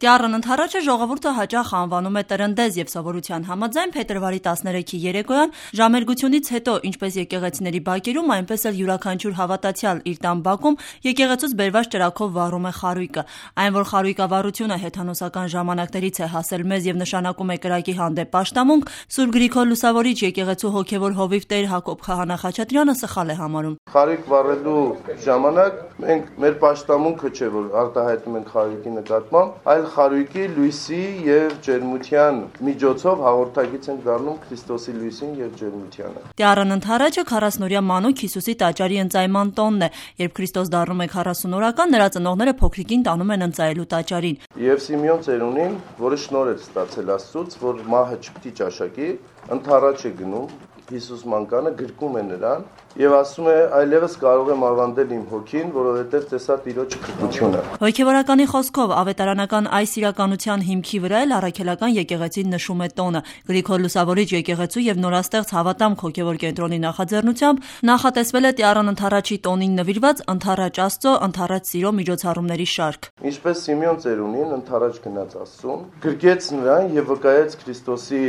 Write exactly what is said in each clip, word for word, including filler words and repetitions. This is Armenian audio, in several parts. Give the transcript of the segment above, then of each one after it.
Տյառն ընթառաջը ժողովուրդը հաճախ անվանում է տրնդեզ եւ սովորության համաձայն փետրվարի տասներեքի երեկոյան ժամերգությունից հետո ինչպես եկեղեցիների բակերում, այնպես էլ յուրաքանչյուր հավատացյալ իր տան բակում եկեղեցուց բերված ճրագով վառում է խարույկը։ Այն, որ խարույկավառությունը հեթանոսական ժամանակներից է հասել մեզ եւ նշանակում է կրակի հանդեպ պաշտամունք, Սուրբ Գրիգոր Լուսավորիչ եկեղեցու հոգեվոր հովիվ Տեր Հակոբ Քահանա Խաչատրյանը սխալ է համարում։ Խարույկ վառելու ժամանակ մենք մեր պաշտամունքը չէ, որ արտահայտում ենք խարույկի նկատմամբ, այլ խարույկի լույսի եւ ջերմության միջոցով հաղորդակից ենք դառնում Քրիստոսի լույսին եւ ջերմությանը։ Տյառն ընթառաջը քառասնօրյա մանուկ Հիսուսի տաճարի ընծայման տոնն է, երբ Քրիստոս դառնում է քառասունօրական, նրա ծնողները փոքրիկին տանում են ընծայելու տաճարին։ Եվ Սիմեոն ծերունին, որը շնորհ էր ստացել Աստծուց, որ մահը չպիտի ճաշակի, ընթառաջ է գնում Հիսուս մանկանը, գրկում է նրան եւ ասում է այլևս կարող եմ ավանդել իմ հոգին, որովհետեւ տեսա Տիրոջ քրտությունը։ Հոգեվորականի խոսքով ավետարանական այս իրականության հիմքի վրա էլ առաքելական եկեղեցին նշում է տոնը։ Գրիգոր Լուսավորիչ եկեղեցու եւ նորաստեղծ Հավատամք հոգեվոր կենտրոնի նախաձեռնությամբ նախատեսվել է Տյառն ընթառաջի տոնին նվիրված Ընթառաջ Աստծո, ընթառաջ սիրո միջոցառումների շարք։ Ինչպես Սիմեոն ծերունին ընթառաջ գնաց Աստծուն, գրկեց նրան եւ վկայեց Քրիստոսի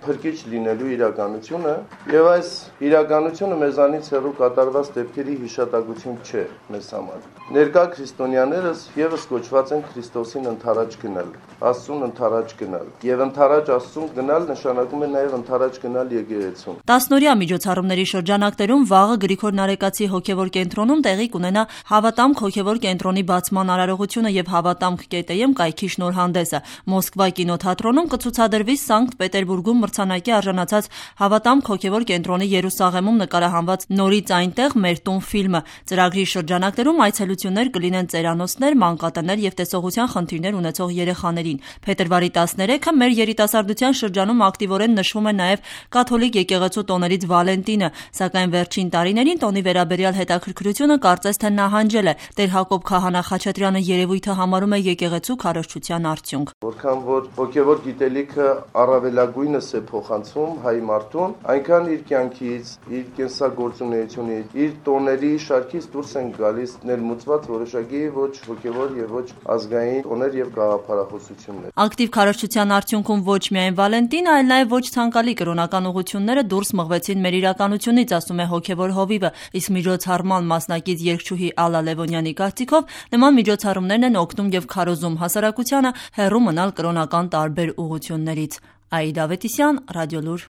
փրկիչ լինելու իրականությունը, եւ այս իրականությունը մեզանից հեռու կատարված դեպքերի հիշատակություն չէ մեզ համար։ Ներկա քրիստոնյաներս եւս կոչված են Քրիստոսին ընթառաջ գնալ, Աստծուն ընթառաջ գնալ, եւ ընթառաջ Աստծուն գնալ նշանակում է նաեւ ընթառաջ գնալ եկեղեցուն։ Տասնօրյա միջոցառումների շրջանակներում վաղը Գրիգոր Նարեկացի հոգեվոր կենտրոնում տեղի կունենա Հավատամք հոգեվոր կենտրոնի բացման արարողությունը եւ Հավատամք կետեմ կայքի շնորհանդեսը։ Մոսկվա կինոթատրոնում կցուցադրվի Սանկտ Պետերբուրգում մրցանակի արժանացած Հավատամք հոգեվոր կենտրոնի Երուսաղեմում նկարահանված Նորից այնտեղ մեր տուն ֆիլմը։ Ծրագրի շրջանակներում այցելություններ կլինեն ծերանոցներ, մանկատներ եւ տեսողության խնդիրներ ունեցող երեխաներին։ Փետրվարի տասներեքը մեր երիտասարդության շրջանում ակտիվորեն նշվում է նաեւ կաթոլիկ եկեղեցու տոներից Վալենտինը, սակայն վերջին տարիներին տոնի վերաբերյալ հետաքրքրությունը կարծես թե նահանջել է։ Տեր Հակոբ Քահանա Խաչատրյանը երևույթը համարում է եկեղեցու քարոզչության արդյունք։ Որքան որ հոգեվոր գիտելիքը առավելագույնս է փոխանցում հայ մարդուն, այնքան իր կյանքից, իր կենսագործունեությունից, իր տոների շարքից դուրս են գալիս ներմուծված որոշակի ոչ հոգեվոր եւ ոչ ազգային տոներ եւ գաղափարախոսություններ։ Ակտիվ քարոզչության արդյունքում ոչ միայն Վալենտին, այլ նաեւ ոչ ցանկալի կրոնական ուղղությունները դուրս մղվեցին մեր իրականությունից, ասում է հոգեվոր հովիվը, իսկ միջոցառման մասնակից երգչուհի Ալլա Լևոնյանի կարծիքով նման միջոցառումներն են օգնում եւ քարոզում հասարակությանը հեռու մնալ կրոնական տարբեր ուղղություններից։ Աիդա Ավետիսյան, Ռադիոլուր։